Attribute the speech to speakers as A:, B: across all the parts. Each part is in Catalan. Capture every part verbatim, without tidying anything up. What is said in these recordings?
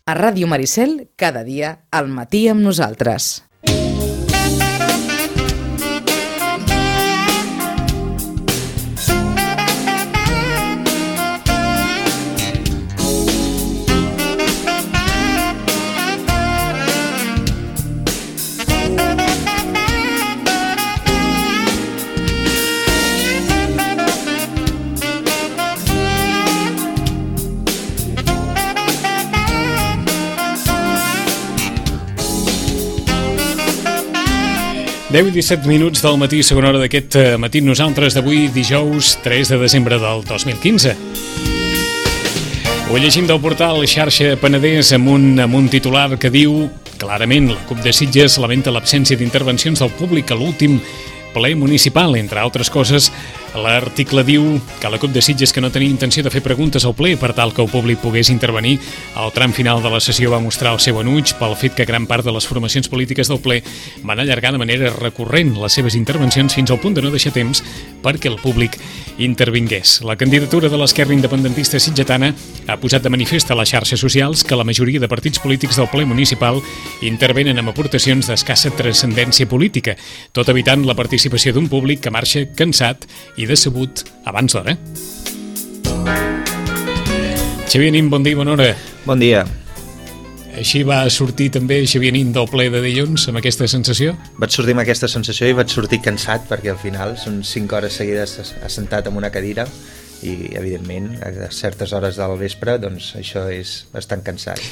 A: A Ràdio Maricel, cada dia al matí amb nosaltres.
B: deu i disset minuts del matí, segona hora d'aquest matí nosaltres d'avui, dijous tres de desembre del dos mil quinze. Ho llegim del portal Xarxa Penedès amb un, amb un titular que diu clarament la CUP de Sitges lamenta l'absència d'intervencions del públic a l'últim ple municipal. Entre altres coses, l'article diu que la CUP de Sitges, que no tenia intenció de fer preguntes al ple per tal que el públic pogués intervenir, al tram final de la sessió va mostrar el seu enuig pel fet que gran part de les formacions polítiques del ple van allargar de manera recurrent les seves intervencions fins al punt de no deixar temps perquè el públic intervingués. La candidatura de l'esquerra independentista sitgetana ha posat de manifest a les xarxes socials que la majoria de partits polítics del ple municipal intervenen amb aportacions d'escassa transcendència política, tot evitant la participació d'un públic que marxa cansat i decebut abans d'hora. Xavier Nin, bon dia i bona hora.
C: Bon dia.
B: Així va sortir també Xavier Nin del ple de dilluns, amb aquesta sensació?
C: Vaig sortir amb aquesta sensació i vaig sortir cansat, perquè al final són cinc hores seguides assentat en una cadira i, evidentment, a certes hores del vespre, doncs això és bastant cansat.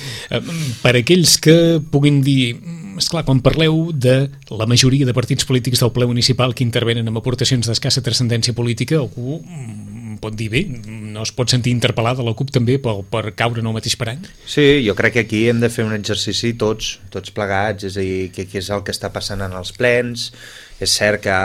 B: Per aquells que puguin dir, esclar, quan parleu de la majoria de partits polítics del ple municipal que intervenen amb aportacions d'escassa transcendència política, algú pot dir, bé, no es pot sentir interpel·lada la CUP també per, per caure en el mateix parany?
C: Sí, jo crec que aquí hem de fer un exercici tots, tots plegats, és a dir, què és el que està passant en els plens. És cert que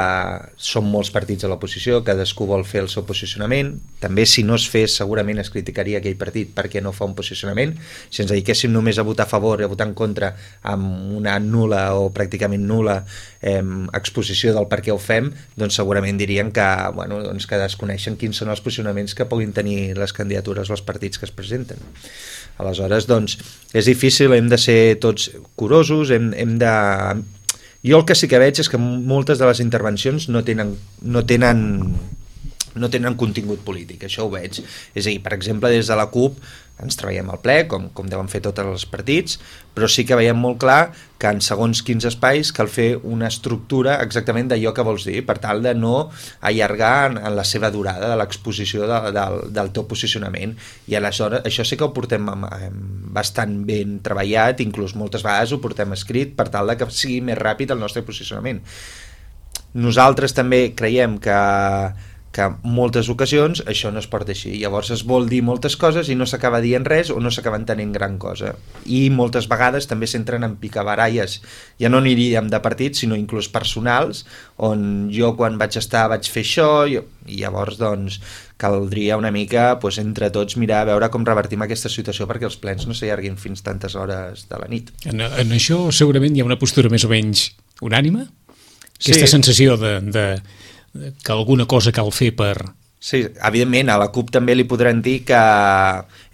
C: són molts partits a l'oposició, cadascú vol fer el seu posicionament, també si no es fes segurament es criticaria aquell partit perquè no fa un posicionament. Si ens dediquéssim només a votar a favor i a votar en contra amb una nul·la o pràcticament nul·la eh, exposició del per què ho fem, doncs segurament dirien que, bueno, doncs que desconeixen quins són els posicionaments que puguin tenir les candidatures o els partits que es presenten. Aleshores, doncs, és difícil, hem de ser tots curosos, hem, hem de... Jo el que sí que veig és que moltes de les intervencions no tenen, no tenen, no tenen contingut polític, això ho veig. És a dir, per exemple, des de la CUP ens treballem al ple, com, com deuen fer tots els partits, però sí que veiem molt clar que en segons quins espais cal fer una estructura exactament d'allò que vols dir, per tal de no allargar en, en la seva durada de l'exposició de, de, del teu posicionament. I aleshores això sí que ho portem bastant ben treballat, inclús moltes vegades ho portem escrit per tal de que sigui més ràpid el nostre posicionament. Nosaltres també creiem que que en moltes ocasions això no es porta així, llavors es vol dir moltes coses i no s'acaba dient res o no s'acaba entenent gran cosa, i moltes vegades també s'entren en picabaralles, ja no aniríem de partits sinó inclús personals, on jo quan vaig estar vaig fer això i, i llavors doncs caldria una mica doncs, entre tots mirar a veure com revertim aquesta situació perquè els plens no s'allarguin fins tantes hores de la nit.
B: En, en això segurament hi ha una postura més o menys unànime? Aquesta sí. Sensació de... de... que alguna cosa cal fer per...
C: Sí, evidentment, a la CUP també li podran dir que...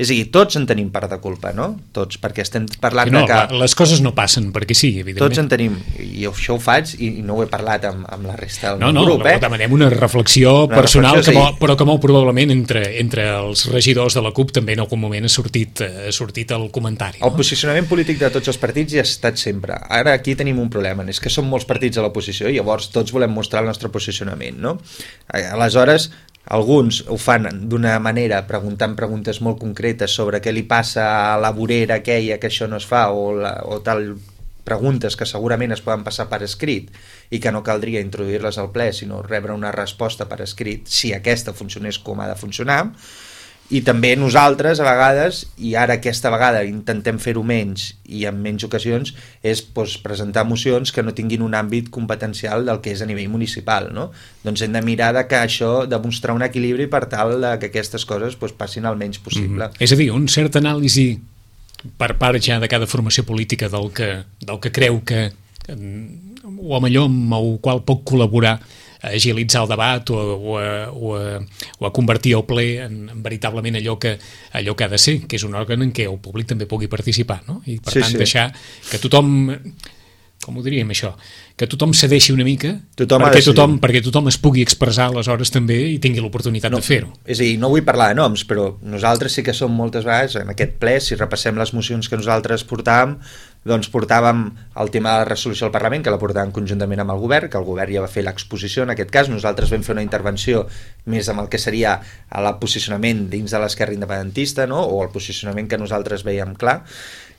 C: És a dir, tots en tenim part de culpa, no? Tots, perquè estem parlant
B: no,
C: de que...
B: Les coses no passen perquè sí, evidentment.
C: Tots en tenim, i això ho faig i no ho he parlat amb, amb la resta del
B: no, no,
C: grup,
B: eh?
C: No,
B: demanem una reflexió una personal, reflexió, que, sí. Però que molt probablement entre, entre els regidors de la CUP també en algun moment ha sortit, ha sortit el comentari.
C: No? El posicionament polític de tots els partits hi ha estat sempre. Ara aquí tenim un problema, és que són molts partits a l'oposició i llavors tots volem mostrar el nostre posicionament, no? Aleshores, alguns ho fan d'una manera preguntant preguntes molt concretes sobre què li passa a la vorera aquella que això no es fa o, la, o tal preguntes que segurament es poden passar per escrit i que no caldria introduir-les al ple sinó rebre una resposta per escrit si aquesta funcionés com ha de funcionar. I també nosaltres a vegades, i ara aquesta vegada intentem fer-ho menys i en menys ocasions, és doncs, presentar mocions que no tinguin un àmbit competencial del que és a nivell municipal, no? Doncs hem de mirar de que això, de mostrar un equilibri per tal de que aquestes coses doncs, passin el menys possible.
B: Mm. És a dir, un cert anàlisi per part ja de cada formació política del que, del que creu que o millor amb el qual pot col·laborar a agilitzar el debat o, o, a, o, a, o a convertir el ple en, en veritablement allò que, allò que ha de ser, que és un òrgan en què el públic també pugui participar, no? I per
C: sí,
B: tant
C: sí.
B: deixar que tothom, com ho diríem això, que tothom cedeixi una mica
C: tothom
B: perquè, tothom, perquè tothom es pugui expressar aleshores també i tingui l'oportunitat
C: no,
B: de fer-ho.
C: És a dir, no vull parlar de noms, però nosaltres sí que som moltes vegades, en aquest ple, si repassem les mocions que nosaltres portàvem, doncs portàvem el tema de la resolució al Parlament, que la portàvem conjuntament amb el govern, que el govern ja va fer l'exposició en aquest cas, nosaltres vam fer una intervenció més amb el que seria el posicionament dins de l'esquerra independentista, no? O el posicionament que nosaltres veiem clar,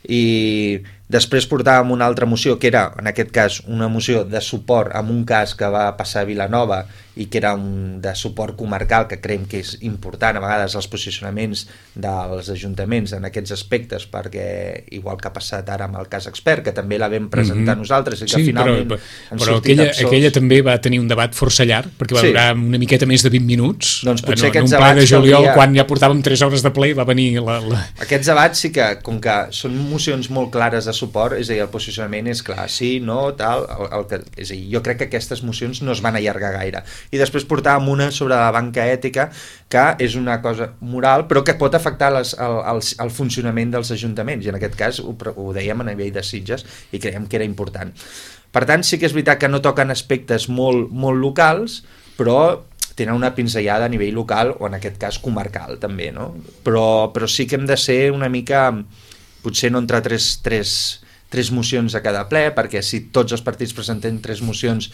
C: i després portàvem una altra moció que era, en aquest cas, una moció de suport en un cas que va passar a Vilanova i que era un de suport comarcal, que creiem que és important a vegades els posicionaments dels ajuntaments en aquests aspectes, perquè igual que ha passat ara amb el cas expert, que també la vam presentar mm-hmm. nosaltres i que
B: sí,
C: finalment
B: però, però aquella, aquella també va tenir un debat força llarg, perquè va sí. durar una miqueta més de vint minuts,
C: doncs potser
B: en, en un ple de juliol, hauria... quan ja portàvem tres hores de ple, va venir la, la...
C: Aquests debats sí que, com que són mocions molt clares de suport, és a dir, el posicionament és clar, sí, no, tal, el, el que, és a dir, jo crec que aquestes mocions no es van allargar gaire. I després portàvem una sobre la banca ètica, que és una cosa moral, però que pot afectar les, el, el, el funcionament dels ajuntaments, i en aquest cas ho, ho dèiem a nivell de Sitges, i creiem que era important. Per tant, sí que és veritat que no toquen aspectes molt, molt locals, però tenen una pinzellada a nivell local, o en aquest cas comarcal, també, no? Però, però sí que hem de ser una mica, potser no entre tres... tres tres mocions a cada ple, perquè si tots els partits presenten tres mocions,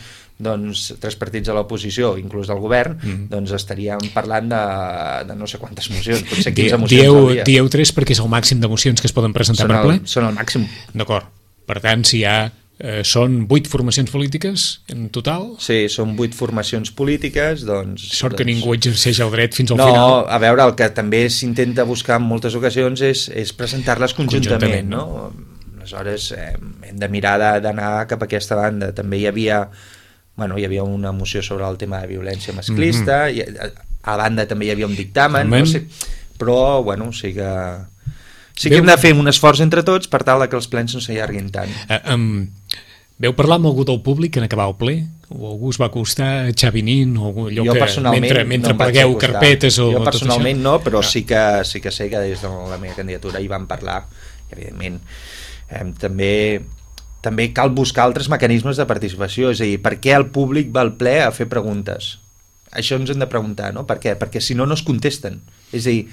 C: doncs tres partits a l'oposició, inclús del govern, mm. doncs estaríem parlant de, de no sé quantes mocions, potser quinze mocions
B: dieu,
C: al dia.
B: Dieu tres perquè és el màxim de mocions que es poden presentar
C: són
B: per ple?
C: El, són el màxim.
B: D'acord. Per tant, si hi ha eh, són vuit formacions polítiques en total?
C: Sí, són vuit formacions polítiques, doncs...
B: Sort
C: doncs...
B: que ningú exerceix el dret fins al
C: no,
B: final.
C: No, a veure, el que també s'intenta buscar en moltes ocasions és, és presentar-les conjuntament, conjuntament, no? no? Aleshores eh, hem de mirar d'anar cap a aquesta banda. També hi havia, bueno, hi havia una moció sobre el tema de violència masclista, mm-hmm. i a, a banda també hi havia un dictamen, no sé, però bueno, sí que sí que Veu... hem de fer un esforç entre tots per tal que els plens no s'allarguin tant.
B: Uh, um, veu parlar amb algú del públic en acabar el ple? O algú es va acostar, Xavi Nin, o allò
C: jo
B: que mentre, mentre
C: no
B: plegueu carpetes o
C: jo personalment no, però
B: ah.
C: sí que, sí que sé que des de la meva candidatura hi van parlar, evidentment. Eh, també, també cal buscar altres mecanismes de participació, és a dir, per què el públic va al ple a fer preguntes? Això ens hem de preguntar, no? Per què? Perquè si no, no es contesten. És a dir,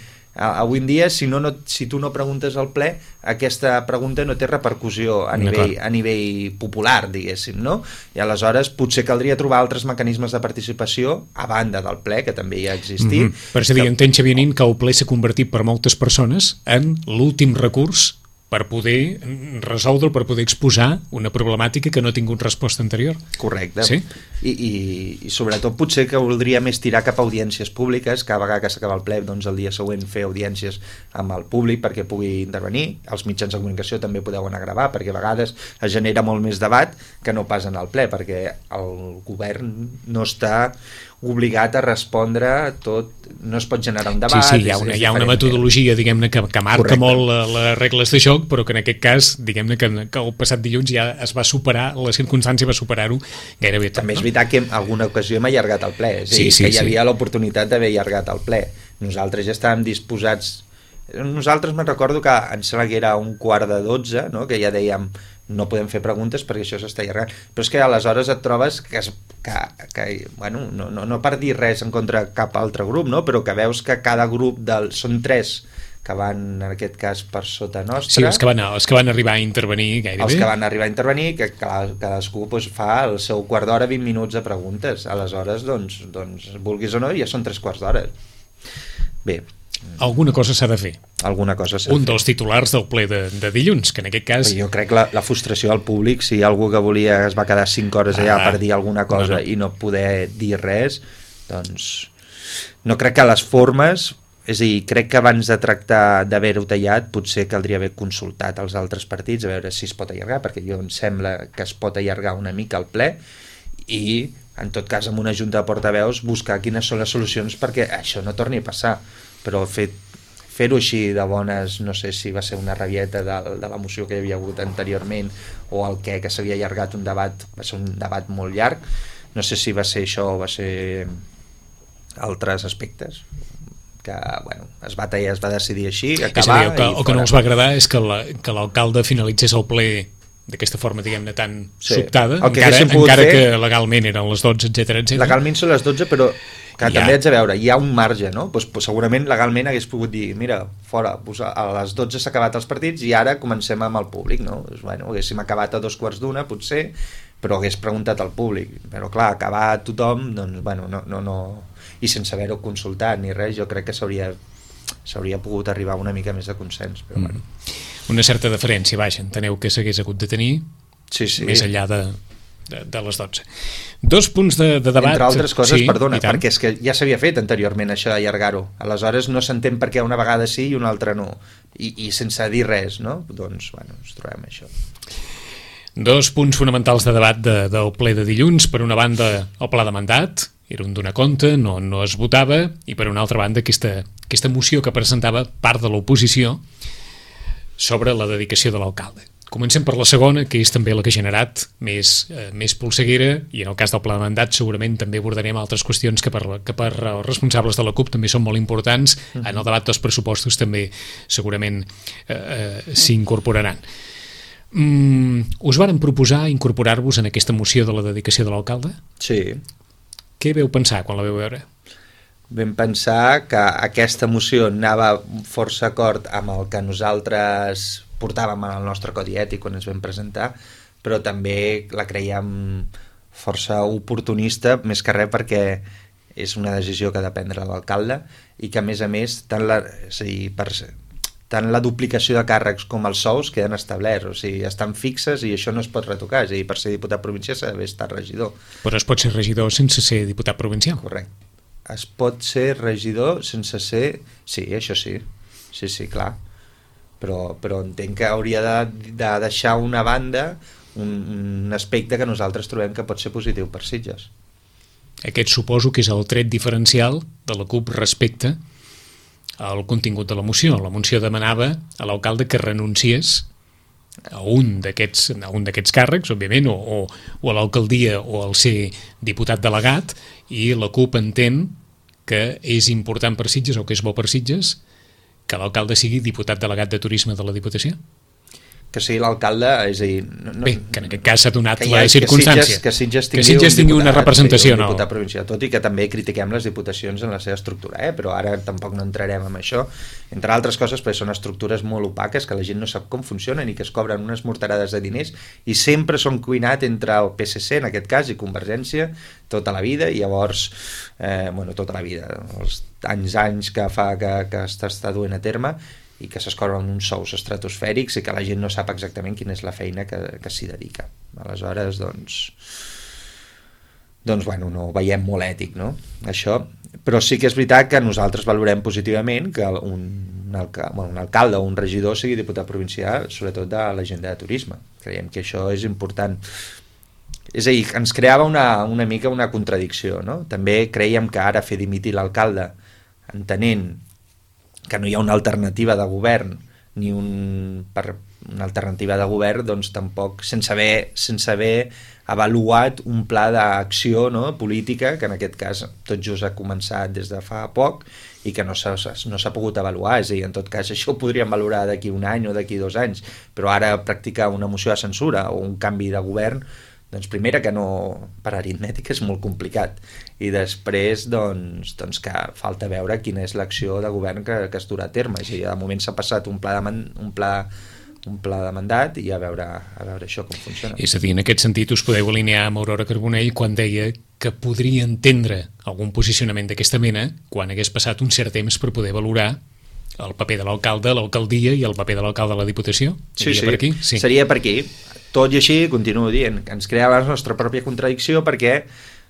C: avui en dia, si, no, no, si tu no preguntes al ple, aquesta pregunta no té repercussió a nivell, a nivell popular, diguéssim, no? I aleshores potser caldria trobar altres mecanismes de participació a banda del ple, que també hi ha existit.
B: Mm-hmm. Per dir, entén, Xavier Nin, que el ple s'ha convertit per moltes persones en l'últim recurs per poder resoldre, per poder exposar una problemàtica que no ha tingut resposta anterior.
C: Correcte.
B: Sí?
C: I, i, i sobretot potser que voldria més tirar cap a audiències públiques, cada vegada que s'acaba el ple, doncs el dia següent fer audiències amb el públic perquè pugui intervenir. Els mitjans de comunicació també podeu anar a gravar, perquè a vegades es genera molt més debat que no pas en el ple, perquè el govern no està obligat a respondre tot, no es pot generar un debat.
B: Sí, sí, hi ha una, hi ha una metodologia, diguem-ne, que, que marca Correcte. molt la, les regles de joc, però que en aquest cas, diguem-ne, que, que el passat dilluns ja es va superar, la circumstància va superar-ho gairebé tot.
C: També és
B: no?
C: veritat que en alguna ocasió hem allargat el ple, és a dir, sí, sí, que hi havia sí. l'oportunitat d'haver allargat el ple. Nosaltres ja estàvem disposats, nosaltres me'n recordo que em sembla que era un quart de dotze, no? Que ja dèiem no podem fer preguntes perquè això s'està allargant, però és que aleshores et trobes que, es, que, que bueno, no, no, no per dir res en contra cap altre grup, no? Però que veus que cada grup del, són tres que van, en aquest cas, per sota nostra.
B: Sí, els que van, els que van arribar a intervenir gairebé.
C: Els que van arribar a intervenir, que cadascú doncs, fa el seu quart d'hora, vint minuts de preguntes. Aleshores, doncs, doncs, vulguis o no, ja són tres quarts d'hora. Bé.
B: Alguna cosa s'ha de fer.
C: Alguna cosa s'ha
B: Un
C: de fer.
B: dels titulars del ple de, de dilluns, que en aquest cas...
C: Jo crec la, la frustració al públic, si hi ha algú que volia es va quedar cinc hores allà ah, per dir alguna cosa no, no. i no poder dir res, doncs no crec que les formes, és a dir, crec que abans de tractar d'haver-ho tallat potser caldria haver consultat els altres partits a veure si es pot allargar, perquè jo em sembla que es pot allargar una mica el ple i en tot cas amb una junta de portaveus buscar quines són les solucions perquè això no torni a passar, però fet fer-ho així de bones, no sé si va ser una rabieta de, de la moció que hi havia hagut anteriorment o el que, que s'havia allargat un debat, va ser un debat molt llarg, no sé si va ser això o va ser altres aspectes que, bueno, es va tallar, es va decidir així, acabar...
B: És a dir, el que, el que no els va agradar és que la, que l'alcalde finalitzés el ple d'aquesta forma, diguem-ne, tan sí. sobtada, encara, encara fer, que legalment eren les dotze, etcètera, etcètera.
C: Legalment són les dotze, però que ja. també haig de veure, hi ha un marge, no? Pues, pues, segurament legalment hagués pogut dir, mira, fora, pues, a les dotze s'ha acabat els partits i ara comencem amb el públic, no? Pues, bueno, haguéssim acabat a dos quarts d'una, potser, però hagués preguntat al públic. Però clar, acabar tothom, doncs, bueno, no, no, no... I sense haver-ho consultat ni res, jo crec que s'hauria s'hauria pogut arribar una mica més de consens, però mm. bueno.
B: Una certa deferència, vaja, enteneu que s'hagués hagut de tenir
C: sí, sí.
B: més enllà de, de, de les dotze. Dos punts de, de debat...
C: Entre altres coses, sí, perdona, perquè és que ja s'havia fet anteriorment això d'allargar-ho. Aleshores no s'entén per què una vegada sí i una altra no. I, i sense dir res, no? Doncs, bueno, ens trobem això.
B: Dos punts fonamentals de debat de, del ple de dilluns. Per una banda, el pla de mandat, era un donar compte, no, no es votava, i per una altra banda aquesta, aquesta moció que presentava part de l'oposició sobre la dedicació de l'alcalde. Comencem per la segona, que és també la que ha generat més, eh, més polseguera, i en el cas del pla de mandat segurament també abordarem altres qüestions que per, que per els responsables de la CUP també són molt importants. Uh-huh. En el debat dels pressupostos també segurament eh, eh, s'incorporaran. Mm, us varen proposar incorporar-vos en aquesta moció de la dedicació de l'alcalde?
C: Sí.
B: Què veu pensar quan la veu veure?
C: Vam pensar que aquesta moció anava força acord amb el que nosaltres portàvem en el nostre codi ètic quan ens vam presentar, però també la creiem força oportunista, més que res perquè és una decisió que ha de prendre l'alcalde i que a més a més tant la, és a dir, per, tant la duplicació de càrrecs com els sous queden establerts, o sigui, estan fixes i això no es pot retocar, és a dir, per ser diputat provincial s'ha d'haver estat regidor.
B: Però es pot ser regidor sense ser diputat provincial?
C: Correcte. Es pot ser regidor sense ser... Sí, això sí, sí, sí, clar. Però, però entenc que hauria de, de deixar una banda un, un aspecte que nosaltres trobem que pot ser positiu per Sitges.
B: Aquest suposo que és el tret diferencial de la CUP respecte al contingut de la moció. La moció demanava a l'alcalde que renunciés a un d'aquests a un d'aquests càrrecs, òbviament, o, o, o a l'alcaldia o al ser diputat delegat, i la CUP entén que és important per Sitges o que és bo per Sitges que l'alcalde sigui diputat delegat de turisme de la Diputació.
C: Que sigui l'alcalde, és a dir... No, no,
B: Bé, que en aquest cas s'ha donat
C: ha,
B: la circumstància.
C: Que Sitges, que Sitges tingui,
B: que Sitges tingui
C: un diputat,
B: una representació,
C: un
B: no?
C: diputat provincial, tot i que també critiquem les diputacions en la seva estructura, eh? Però ara tampoc no entrarem en això, entre altres coses perquè són estructures molt opaques que la gent no sap com funcionen i que es cobren unes morterades de diners i sempre són cuinat entre el P S C, en aquest cas, i Convergència tota la vida, i llavors eh, bueno, tota la vida, els anys anys que fa que, que està duent a terme, i que s'escorren uns sous estratosfèrics i que la gent no sap exactament quina és la feina que, que s'hi dedica. Aleshores, doncs, doncs bueno, no ho veiem molt ètic, no? Això, però sí que és veritat que nosaltres valorem positivament que un, un, alca, bueno, un alcalde o un regidor sigui diputat provincial, sobretot de l'agenda de turisme. Creiem que això és important. És a dir, ens creava una, una mica una contradicció, no? També creiem que ara fer dimitir l'alcalde, entenent que no hi ha una alternativa de govern ni un, per una alternativa de govern, doncs tampoc sense haver, sense haver avaluat un pla d'acció, no, política, que en aquest cas tot just ha començat des de fa poc i que no s'ha no s'ha pogut avaluar. És a dir, en tot cas això ho podríem valorar d'aquí un any o d'aquí dos anys, però ara practicar una moció de censura o un canvi de govern, doncs primera que no, per aritmètica és molt complicat, i després doncs, doncs que falta veure quina és l'acció de govern que, que es durà a terme. És a dir, de moment s'ha passat un pla de, man, un pla, un pla de mandat i a veure, a veure això com funciona.
B: És a dir, en aquest sentit us podeu alinear amb Aurora Carbonell quan deia que podria entendre algun posicionament d'aquesta mena quan hagués passat un cert temps per poder valorar el paper de l'alcalde, l'alcaldia i el paper de l'alcalde de la Diputació.
C: Sí, sí,
B: per aquí? Sí,
C: seria per aquí. Tot i així, continuo dient, que ens creava la nostra pròpia contradicció perquè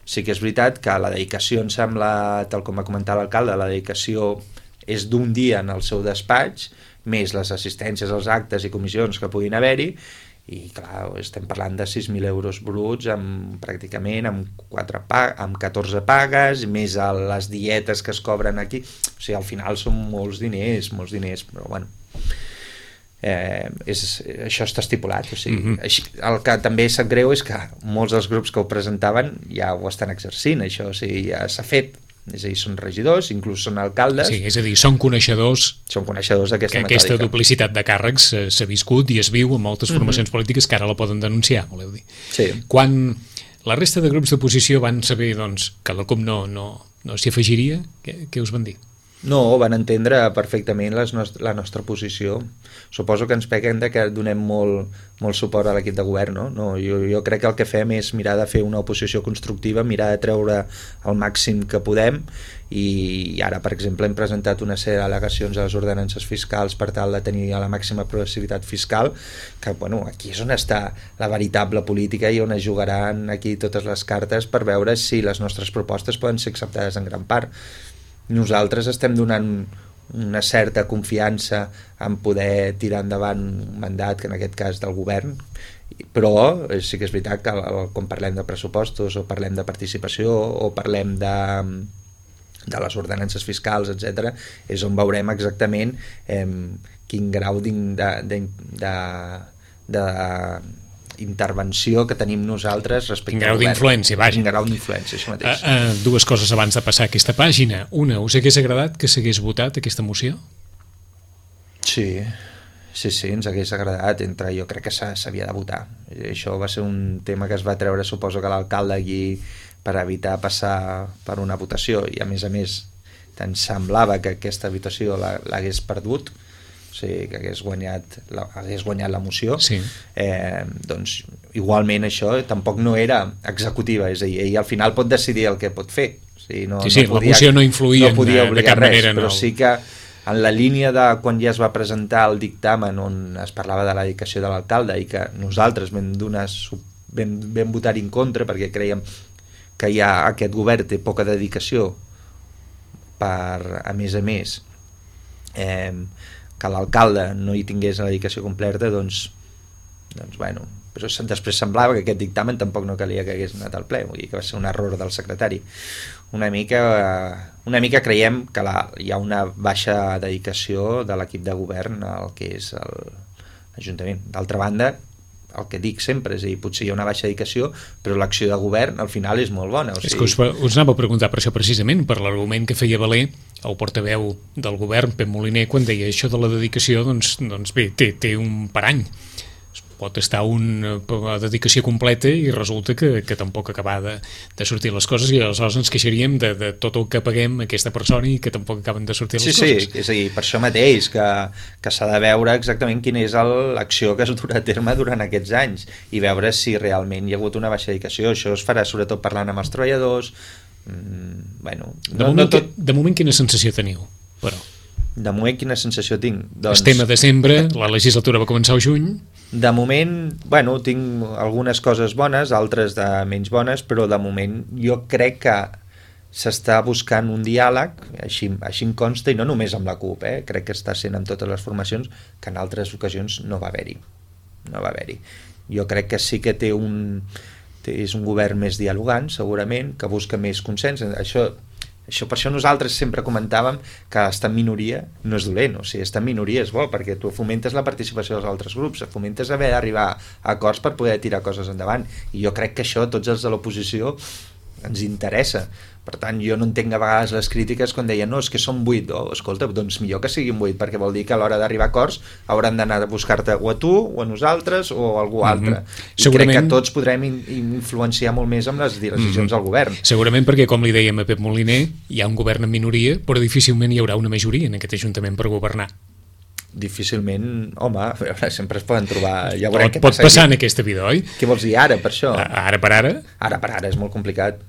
C: sí que és veritat que la dedicació, em sembla, tal com va comentar l'alcalde, la dedicació és d'un dia en el seu despatx, més les assistències als actes i comissions que puguin haver-hi, i clar, estem parlant de sis mil euros bruts amb, pràcticament amb, quatre pag amb catorze pagues, més a les dietes que es cobren aquí. O sigui, al final són molts diners, molts diners, però bueno... eh, és, això està estipulat, o sigui,
B: Mm-hmm.
C: així, el que també sap greu és que molts dels grups que ho presentaven ja ho estan exercint, això, o sigui, ja s'ha fet, és a dir, són regidors, inclús són alcaldes,
B: Sí, és a dir, són coneixedors
C: són coneixedors d'aquesta
B: que aquesta
C: metòdica.
B: duplicitat de càrrecs eh, s'ha viscut i es viu en moltes formacions polítiques que ara la poden denunciar, voleu dir.
C: Sí.
B: Quan la resta de grups d'oposició van saber doncs, que la CUP no, no, no s'hi afegiria, què, què us van dir?
C: No, van entendre perfectament les nost la nostra posició. Suposo que ens peguen de que donem molt, molt suport a l'equip de govern, no? No, jo, jo crec que el que fem és mirar de fer una oposició constructiva, mirar de treure el màxim que podem, i ara, per exemple, hem presentat una sèrie d'al·legacions a les ordenances fiscals per tal de tenir la màxima progressivitat fiscal, que, bueno, aquí és on està la veritable política i on es jugaran aquí totes les cartes per veure si les nostres propostes poden ser acceptades en gran part. Nosaltres estem donant una certa confiança en poder tirar endavant un mandat, que en aquest cas del govern, però sí que és veritat que quan parlem de pressupostos o parlem de participació o parlem de, de les ordenances fiscals, etcètera, és on veurem exactament eh, quin grau de, de, de, de intervenció que tenim nosaltres respecte
B: Quin grau
C: al govern.
B: d'influència, vaja.
C: Quin grau d'influència, això mateix.
B: Uh, uh, dues coses abans de passar a aquesta pàgina. Una, us hagués agradat que s'hagués votat aquesta moció?
C: Sí, sí, sí, ens hagués agradat. Entre, jo crec que s'havia de votar. Això va ser un tema que es va treure, suposo que l'alcalde allí, per evitar passar per una votació, i a més a més tant semblava que aquesta votació l'hagués perdut, o sigui, que hagués guanyat la, hagués guanyat la moció,
B: sí.
C: eh, doncs igualment això tampoc no era executiva, és a dir, ell al final pot decidir el que pot fer, o sigui, no,
B: sí, sí,
C: no podia,
B: la moció no influïa
C: no podia
B: de, de cap
C: res,
B: manera,
C: però
B: no.
C: sí que en la línia de quan ja es va presentar el dictamen on es parlava de la dedicació de l'alcalde i que nosaltres vam, donar, vam, vam votar en contra perquè creiem que ja aquest govern té poca dedicació per, a més a més, eh, que l'alcalde no hi tingués la dedicació completa, doncs, doncs bueno, però després semblava que aquest dictamen tampoc no calia que hagués anat al ple, vull dir que va ser un error del secretari. Una mica, una mica creiem que la, hi ha una baixa dedicació de l'equip de govern al que és l'Ajuntament. D'altra banda, el que dic sempre, és a dir, potser hi ha una baixa dedicació, però l'acció de govern al final és molt bona. O sigui...
B: És que us, us anava a preguntar per això precisament, per l'argument que feia valer el portaveu del govern, Pep Moliner, quan deia això de la dedicació, doncs, doncs bé, té, té un parany. Pot estar una dedicació completa i resulta que, que tampoc acaba de, de sortir les coses, i aleshores ens queixaríem de, de tot el que paguem a aquesta persona i que tampoc acaben de sortir les
C: sí,
B: coses.
C: Sí, és a dir, per això mateix que, que s'ha de veure exactament quina és l'acció que es durà a terme durant aquests anys i veure si realment hi ha hagut una baixa dedicació. Això es farà sobretot parlant amb els treballadors. Mm, bueno,
B: de,
C: no,
B: moment,
C: no tot...
B: de moment quina sensació teniu, però?
C: De moment quina sensació tinc? Doncs...
B: Estem a desembre, la legislatura va començar al juny.
C: De moment, bueno, tinc algunes coses bones, altres de menys bones, però de moment jo crec que s'està buscant un diàleg, així, així em consta, i no només amb la CUP, eh? Crec que està sent amb totes les formacions, que en altres ocasions no va haver-hi. No va haver-hi. Jo crec que sí que té un, té, és un govern més dialogant, segurament, que busca més consens. Això... Això, per això nosaltres sempre comentàvem que estar en minoria no és dolent, o sigui, estar en minoria és bo, perquè tu fomentes la participació dels altres grups, fomentes haver d'arribar a acords per poder tirar coses endavant, i jo crec que això tots els de l'oposició ens interessa. Per tant, jo no entenc a vegades les crítiques quan deien no, és que són vuit, oh, escolta, doncs millor que siguin vuit, perquè vol dir que a l'hora d'arribar a acords hauran d'anar a buscar-te o a tu, o a nosaltres, o a algú altre. Mm-hmm. I Segurament... crec que tots podrem in influenciar molt més amb les decisions mm-hmm. del govern.
B: Segurament perquè, com li dèiem a Pep Moliner, hi ha un govern en minoria, però difícilment hi haurà una majoria en aquest Ajuntament per governar.
C: Difícilment, home, a veure, sempre es poden trobar... Ja
B: pot pot passa passar aquí. En aquesta vida, oi?
C: Què vols dir ara, per això?
B: Ara per ara?
C: Ara per ara és molt complicat.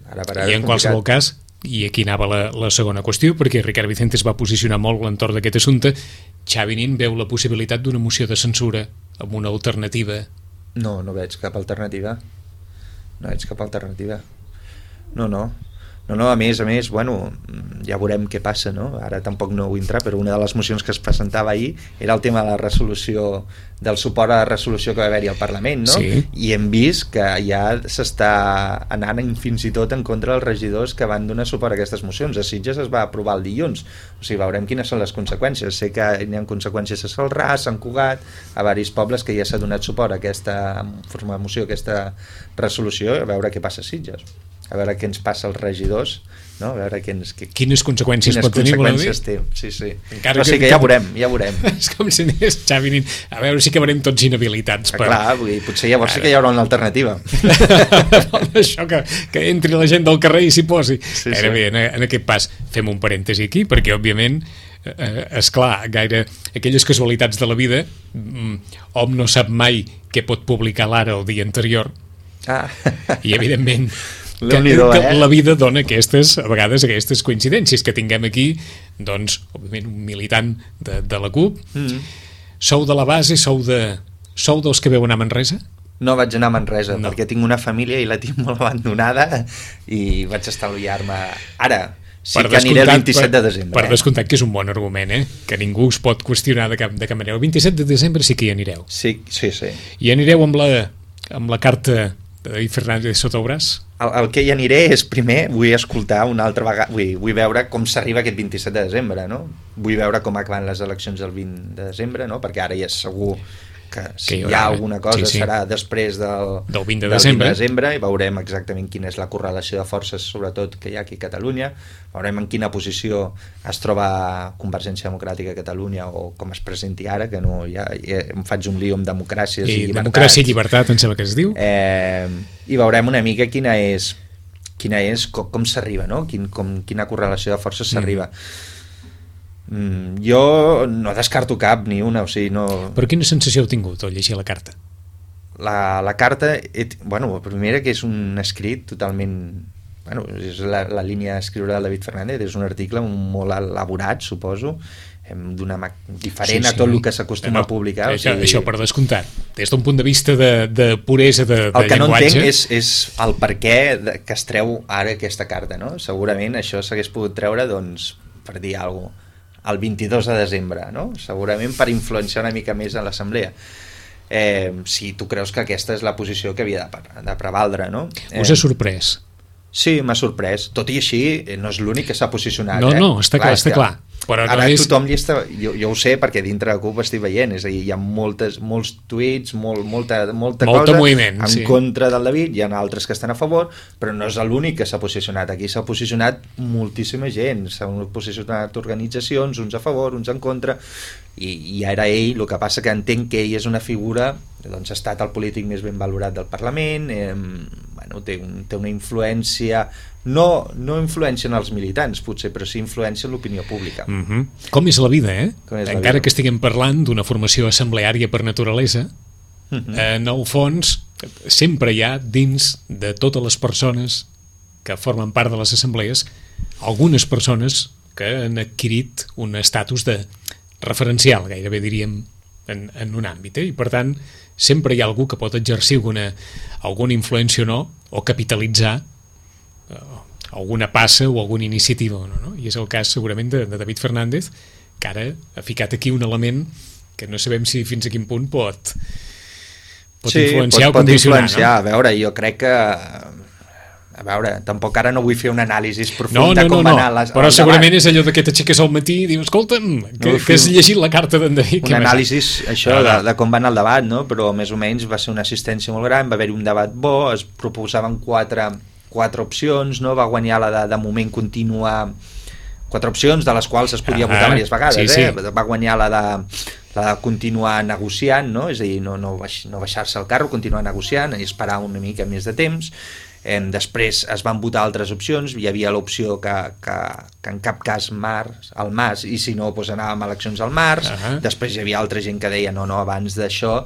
C: Ara per ara
B: I en qualsevol cas, i aquí anava la, la segona qüestió, perquè Ricard Vicente es va posicionar molt l'entorn d'aquest assumpte, Xavi Nin veu la possibilitat d'una moció de censura amb una alternativa?
C: No, no veig cap alternativa. No veig cap alternativa. No, no. No, no, a més, a més, bueno, ja veurem què passa, no? Ara tampoc no vull entrar, però una de les mocions que es presentava ahir era el tema de la resolució, del suport a la resolució que va haver-hi al Parlament, no?
B: Sí.
C: I hem vist que ja s'està anant fins i tot en contra dels regidors que van donar suport a aquestes mocions. A Sitges es va aprovar el dilluns, o sigui, veurem quines són les conseqüències. Sé que hi ha conseqüències a Celrà, a Sant Cugat, a diversos pobles que ja s'ha donat suport a aquesta forma de moció, a aquesta resolució, a veure què passa a Sitges. A veure què ens passa als regidors, no? A veure què ens, què,
B: quines conseqüències
C: quines
B: pot tenir,
C: conseqüències té. Sí, sí.
B: Encara
C: no, sí, que, que ja veurem, ja veurem.
B: És com si anés Xavi Nin. A veure si acabarem tots inhabilitats.
C: Per... Clar, vull dir, potser llavors sí que hi haurà una alternativa.
B: Això que, que entri la gent del carrer i s'hi posi.
C: Sí,
B: Ara
C: sí.
B: bé, en, en aquest pas fem un parèntesi aquí, perquè òbviament eh, esclar, gaire aquelles casualitats de la vida, hom no sap mai què pot publicar l'Ara el dia anterior,
C: Ah.
B: i evidentment que,
C: Déu-n'hi-do,
B: que
C: eh?
B: la vida dona aquestes, a vegades aquestes coincidències que tinguem aquí, doncs òbviament un militant de, de la CUP.
C: Mm.
B: Sou de la base, sou de sou dels que veu anar a Manresa?
C: No vaig anar a Manresa,
B: No.
C: perquè tinc una família i la tinc molt abandonada i vaig estalviar-me ara. Sí que aniré el vint-i-set de desembre.
B: Per
C: eh?
B: descomptat que és un bon argument, eh? Que ningú us pot qüestionar de cap, de cap manera. El vint-i-set de desembre sí que hi anireu.
C: Sí, sí, sí.
B: I anireu amb la, amb la carta de David Fernández sota el braç?
C: El, el que hi aniré és, primer, vull escoltar una altra vegada, vull, vull veure com s'arriba aquest vint-i-set de desembre, no? Vull veure com acaben les eleccions del vint de desembre, no? Perquè ara ja és segur que si
B: Que hi
C: hi,
B: haurà,
C: ha alguna cosa
B: sí, sí.
C: serà després del,
B: Del vint de
C: del
B: desembre.
C: de desembre i veurem exactament quina és la correlació de forces, sobretot que hi ha aquí a Catalunya, veurem en quina posició es troba Convergència Democràtica a Catalunya o com es presenti ara, que no, ja, ja em faig un lío amb democràcies i,
B: I
C: llibertats.
B: democràcia i llibertat, em sembla que es diu.
C: Eh, I veurem una mica quina és, quina és com, com s'arriba, no? Quin, com, quina correlació de forces s'arriba. Mm, jo no descarto cap ni una, o sigui, no...
B: Però quina sensació heu tingut al llegir la carta?
C: La, la carta, et, bueno, primera que és un escrit totalment... Bueno, és la, la línia d'escriure del David Fernández, és un article molt elaborat, suposo, d'una diferent sí, sí. a tot el que s'acostuma no, no, a publicar.
B: Això,
C: o sigui,
B: això per descomptat. Des d'un punt de vista de, de puresa de, de
C: el que
B: llenguatge...
C: no entenc és, és el per què de, que es treu ara aquesta carta, no? Segurament això s'hagués pogut treure, doncs, per dir alguna cosa, el vint-i-dos de desembre, no? Segurament per influenciar una mica més a l'assemblea. Eh, si tu creus que aquesta és la posició que havia de, de prevaldre, no? Eh,
B: Us ha sorprès?
C: Sí, m'ha sorprès. Tot i així, no és l'únic que s'ha posicionat.
B: No,
C: eh?
B: no, està clar, està
C: que,
B: clar. Però
C: ara
B: no és...
C: tothom hi està... Jo, jo ho sé perquè dintre de CUP estic veient, és a dir, hi ha moltes, molts tuits, molt, molta, molta,
B: Molta
C: cosa
B: moviment,
C: en
B: sí.
C: contra del David, hi ha altres que estan a favor, però no és l'únic que s'ha posicionat. Aquí s'ha posicionat moltíssima gent, s'han posicionat organitzacions, uns a favor, uns en contra, i, i ara ell, el que passa que entenc que ell és una figura, doncs ha estat el polític més ben valorat del Parlament, eh, bueno, té, un, té una influència... No, no influència en els militants, potser, però sí influència en l'opinió pública.
B: Mm -hmm. Com és la vida, eh?
C: Com és la
B: Encara
C: vida.
B: que estiguem parlant d'una formació assembleària per naturalesa,
C: Mm -hmm.
B: en el fons sempre hi ha dins de totes les persones que formen part de les assemblees algunes persones que han adquirit un estatus de referencial, gairebé diríem, en, en un àmbit, eh? I per tant sempre hi ha algú que pot exercir alguna, alguna influència o no, o capitalitzar alguna passa o alguna iniciativa o no, no? I és el cas segurament de, de David Fernández, que ara ha ficat aquí un element que no sabem si fins a quin punt pot pot
C: sí,
B: influenciar
C: pot,
B: o condicionar,
C: pot influenciar,
B: no?
C: A veure, jo crec que a veure, tampoc ara no vull fer una anàlisi profunda
B: no, no,
C: com
B: no,
C: va
B: no.
C: anar les,
B: però segurament és allò de que t'aixeques al matí i dius, escolta'm, que,
C: No,
B: que has llegit la carta d'en David.
C: un anàlisi això
B: no, no.
C: de, de com va anar el debat, no? Però més o menys va ser una assistència molt gran, va haver-hi un debat bo, es proposaven quatre quatre opcions, no? Va guanyar la de, de moment continuar, quatre opcions de les quals es podia
B: ah,
C: votar diverses vegades,
B: sí,
C: eh?
B: sí.
C: Va guanyar la de, la de continuar negociant, no? És a dir, no, no, baix, no baixar-se al carro, continuar negociant i esperar una mica més de temps. Eh, després es van votar altres opcions, hi havia l'opció que, que, que en cap cas març, al març, i si no, doncs anàvem a eleccions al març.
B: Uh-huh.
C: Després hi havia altra gent que deia no, no, abans d'això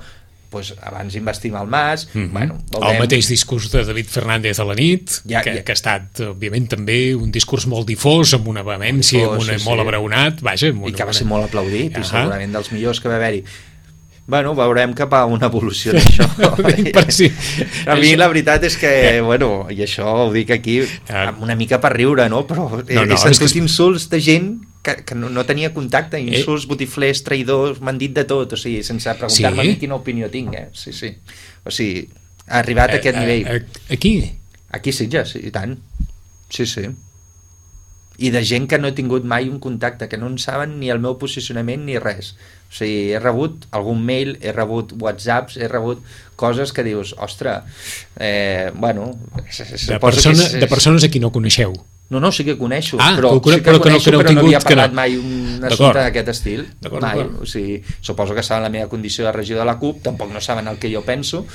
C: pues abans investim al Mas.
B: Mm -hmm.
C: bueno,
B: veurem... El mateix discurs de David Fernández a la nit,
C: ja,
B: que,
C: ja.
B: que ha estat, òbviament, també un discurs molt difós, amb una vehemència, amb una,
C: sí,
B: molt
C: sí.
B: abraonat, vaja... Amb una,
C: I que va
B: una...
C: ser molt aplaudit, uh -huh. i segurament dels millors que va haver-hi. Bueno, veurem cap a una evolució d'això.
B: per si...
C: A mi la veritat és que, bueno, i això ho dic aquí amb una mica per riure, no? Però he, no, no, he sentit que... insults de gent que, que no, no tenia contacte, insults, eh? botiflers, traïdors, m'han dit de tot, o sigui, sense preguntar-me sí? quina opinió tinc, eh? Sí, sí. O sigui, ha arribat a, a aquest nivell.
B: A, a, aquí?
C: Aquí sí, ja, sí, i tant. Sí, sí. I de gent que no he tingut mai un contacte, que no en saben ni el meu posicionament ni res. O sigui, he rebut algun mail, he rebut whatsapps, he rebut coses que dius, ostres, eh, bueno...
B: De, persona, és, és... de persones a qui no coneixeu.
C: No, no, sí que coneixo,
B: ah,
C: però,
B: però,
C: sí que
B: però,
C: coneixo,
B: que no, que no
C: però no havia parlat
B: no.
C: mai un assumpte d'aquest estil. Mai. O sigui, suposo que saben la meva condició de regidor de la CUP, tampoc no saben el que jo penso,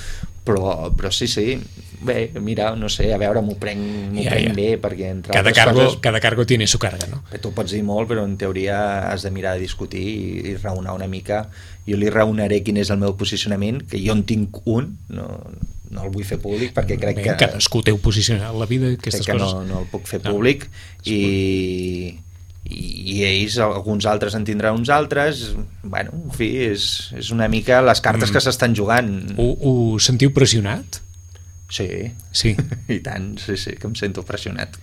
C: però, però sí, sí. Bé, mira, no sé, a veure, m'ho prenc, m'ho ja, prenc ja. bé, perquè entre
B: cada
C: altres
B: cargo,
C: coses...
B: Cada cargo tiene su carga, no?
C: Tu pots dir molt, però en teoria has de mirar de discutir i, i raonar una mica. Jo li raonaré quin és el meu posicionament, que jo en tinc un, no, no el vull fer públic, perquè crec
B: bé,
C: que...
B: Cadascú té posicionat la vida, aquestes
C: crec que
B: coses.
C: No, no el puc fer públic, no. i... i ells, alguns altres en tindran uns altres, bueno, en fi, és, és una mica les cartes mm. que s'estan jugant.
B: Ho, ho sentiu pressionat?
C: Sí,
B: sí.
C: I tant, sí, sí, que em sento pressionat.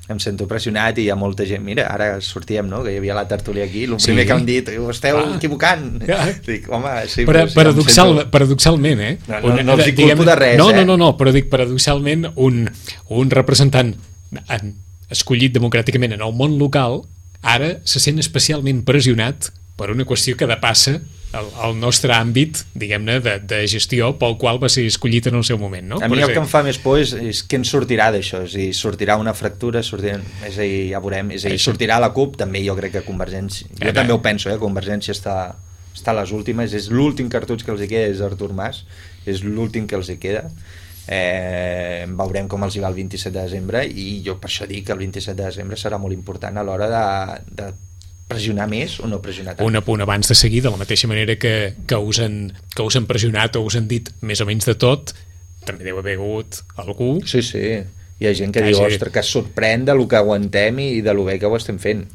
C: Em sento pressionat i hi ha molta gent, mira, ara sortíem, no?, que hi havia la tertúlia aquí, el primer sí. que han dit, ho esteu ah. equivocant. Ah. Dic, home, sí,
B: però,
C: però,
B: paradoxal,
C: sento...
B: paradoxalment, eh?
C: No, no, no els hi culpo de res,
B: no,
C: eh?
B: No, no, no, però dic, paradoxalment, un, un representant escollit democràticament en el món local, ara se sent especialment pressionat per una qüestió que depassa el, el nostre àmbit, diguem-ne, de, de gestió pel qual va ser escollit en el seu moment, no?
C: A mi el que em fa més por és, és què en sortirà d'això, és a dir, sortirà una fractura, sortirà, és a dir, ja veurem, és a dir, sortirà la CUP, també jo crec que Convergència, jo eh, també ho penso, eh, Convergència està, està a les últimes, és l'últim cartutx que els hi queda, és Artur Mas, és l'últim que els hi queda, eh, veurem com els hi va el vint-i-set de desembre, i jo per això dic que el vint-i-set de desembre serà molt important a l'hora de, de pressionar més o no pressionar tant.
B: Un apunt abans de seguir, de la mateixa manera que, que, us han, que us han pressionat o us han dit més o menys de tot, també deu haver hagut algú...
C: Sí, sí, hi ha gent que, que diu, hagi... ostres, que es sorprèn de lo que aguantem i de lo bé que ho estem fent.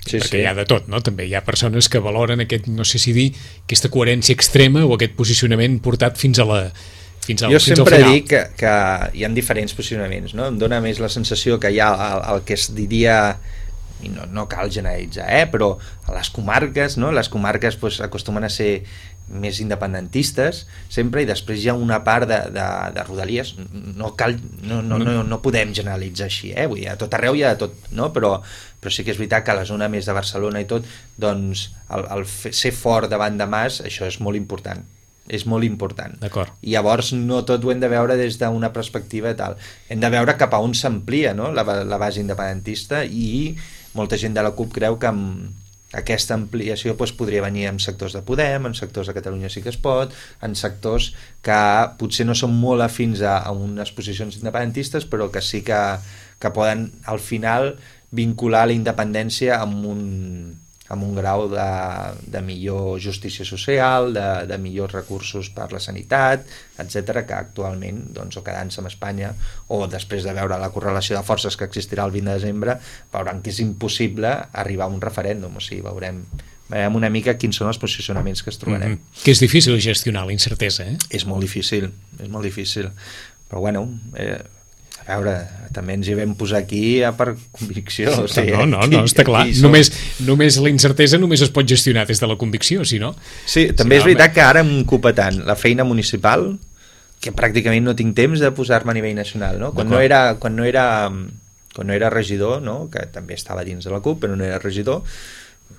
C: Sí,
B: perquè
C: sí.
B: hi ha de tot, no? També hi ha persones que valoren aquest, no sé si dir, aquesta coherència extrema o aquest posicionament portat fins a la... Fins al,
C: jo
B: fins
C: sempre
B: al final.
C: dic que, que hi ha diferents posicionaments, no? Em dóna més la sensació que hi ha el, el que es diria, i no, no cal generalitzar, eh? Però a les comarques, no? Les comarques pues, acostumen a ser més independentistes sempre, i després hi ha una part de, de, de rodalies, no, cal, no, no, no, no podem generalitzar així, eh? Vull dir, a tot arreu hi ha tot, no? Però, però sí que és veritat que a la zona més de Barcelona i tot, doncs el, el ser fort davant de Mas, això és molt important, és molt important.
B: D'acord.
C: I llavors no tot ho hem de veure des d'una perspectiva tal, hem de veure cap a on s'amplia, no? la, la base independentista, i molta gent de la CUP creu que amb aquesta ampliació doncs, podria venir en sectors de Podem, en sectors de Catalunya Sí que es pot, en sectors que potser no són molt afins a, a unes posicions independentistes, però que sí que, que poden al final vincular la independència amb un, amb un grau de, de millor justícia social, de, de millors recursos per la sanitat, etcètera, que actualment, doncs, o quedant-se amb Espanya, o després de veure la correlació de forces que existirà el vint de desembre, veuran que és impossible arribar a un referèndum, o sigui, veurem, veurem una mica quins són els posicionaments que es trobarem.
B: Mm-hmm. Que és difícil gestionar la incertesa, eh?
C: És molt difícil, és molt difícil, però bueno... Eh, a veure, també ens hi vam posar aquí per convicció. O sigui,
B: no, no, no, està clar. Només, només la incertesa només es pot gestionar des de la convicció, si no...
C: Sí, també si no, és veritat home... que ara em ocupa tant la feina municipal que pràcticament no tinc temps de posar-me a nivell nacional, no? Quan no era, quan no era, quan no era regidor, no? Que també estava dins de la CUP, però no era regidor,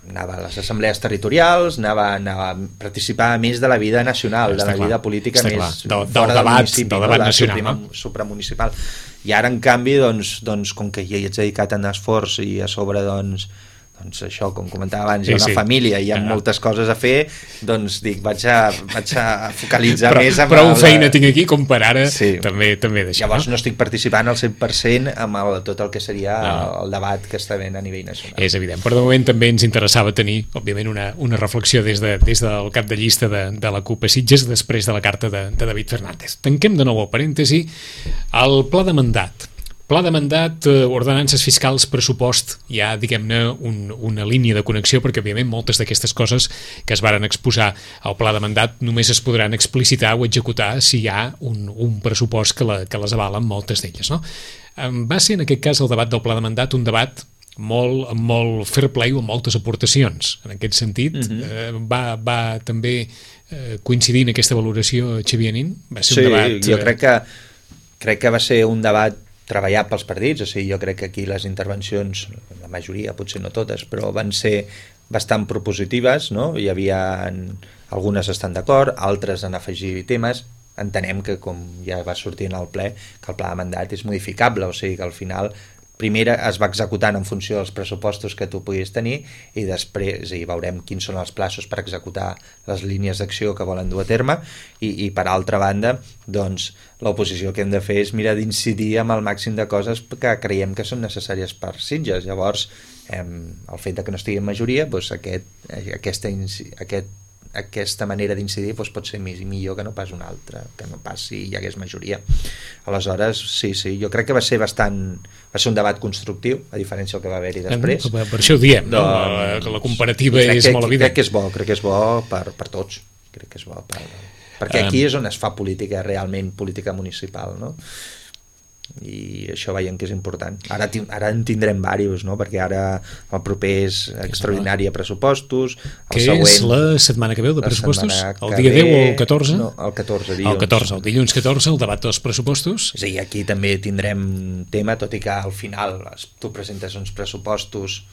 C: anava a les assemblees territorials, anava, anava a participar més de la vida nacional,
B: està
C: de la
B: clar,
C: vida política més
B: del,
C: fora
B: del,
C: del
B: debat,
C: municipi,
B: del debat
C: no?
B: nacional,
C: suprema,
B: no?
C: supramunicipal. I ara, en canvi, doncs, doncs, com que ja hi ets dedicat en esforç i a sobre, doncs, doncs això, com comentava abans, hi ha una
B: sí, sí.
C: família, hi ha ah. moltes coses a fer, doncs dic, vaig a, vaig a focalitzar
B: però,
C: més... Amb
B: prou
C: el,
B: feina tinc aquí com per ara
C: sí.
B: també, també d'això.
C: Llavors no estic participant al cent per cent amb el, tot el que seria no. el, el debat que està havent a nivell nacional.
B: És evident, però de moment també ens interessava tenir, òbviament, una, una reflexió des, de, des del cap de llista de, de la CUP a Sitges després de la carta de, de David Fernández. Tanquem de nou el parèntesi. El pla de mandat. Pla de mandat, eh, ordenances fiscals, pressupost, hi ha, diguem-ne, un, una línia de connexió, perquè, òbviament, moltes d'aquestes coses que es varen exposar al pla de mandat només es podran explicitar o executar si hi ha un, un pressupost que, la, que les avalen, moltes d'elles, no? Va ser, en aquest cas, el debat del pla de mandat un debat molt, molt fair play o amb moltes aportacions. En aquest sentit, mm-hmm. eh, va, va també eh, coincidir en aquesta valoració Xavier Nin? Va ser
C: sí,
B: un debat...
C: jo crec que, crec que va ser un debat treballat pels partits, o sigui, jo crec que aquí les intervencions, la majoria, potser no totes, però van ser bastant propositives, no? Hi havia algunes estan d'acord, altres en afegir temes. Entenem que, com ja va sortir en el ple, que el pla de mandat és modificable, o sigui que al final primer es va executant en funció dels pressupostos que tu puguis tenir i després i veurem quins són els plaços per executar les línies d'acció que volen dur a terme i, i per altra banda, doncs l'oposició que hem de fer és mirar d'incidir amb el màxim de coses que creiem que són necessàries per Sitges. Llavors, eh, el fet de que no estigui en majoria, doncs aquest, aquesta, aquest aquesta manera d'incidir doncs, pot ser més i millor que no pas una altra, que no pas si hi hagués majoria. Aleshores, sí, sí, jo crec que va ser bastant... va ser un debat constructiu, a diferència del que va haver-hi després.
B: Per, per això ho diem, doncs, no? La, la comparativa és
C: que,
B: molt evident.
C: Crec que és bo, crec que és bo per, per tots. Crec que és bo per... Perquè aquí és on es fa política, realment política municipal, no? I això veiem que és important. Ara, ara en tindrem diversos, no? Perquè ara el proper és extraordinari a pressupostos, el
B: que
C: següent...
B: és la setmana que veu de pressupostos? El dia deu o el catorze?
C: No, el catorze, dilluns.
B: El catorze, el dilluns catorze, el debat dels pressupostos.
C: Sí, aquí també tindrem tema, tot i que al final tu presentes uns pressupostos,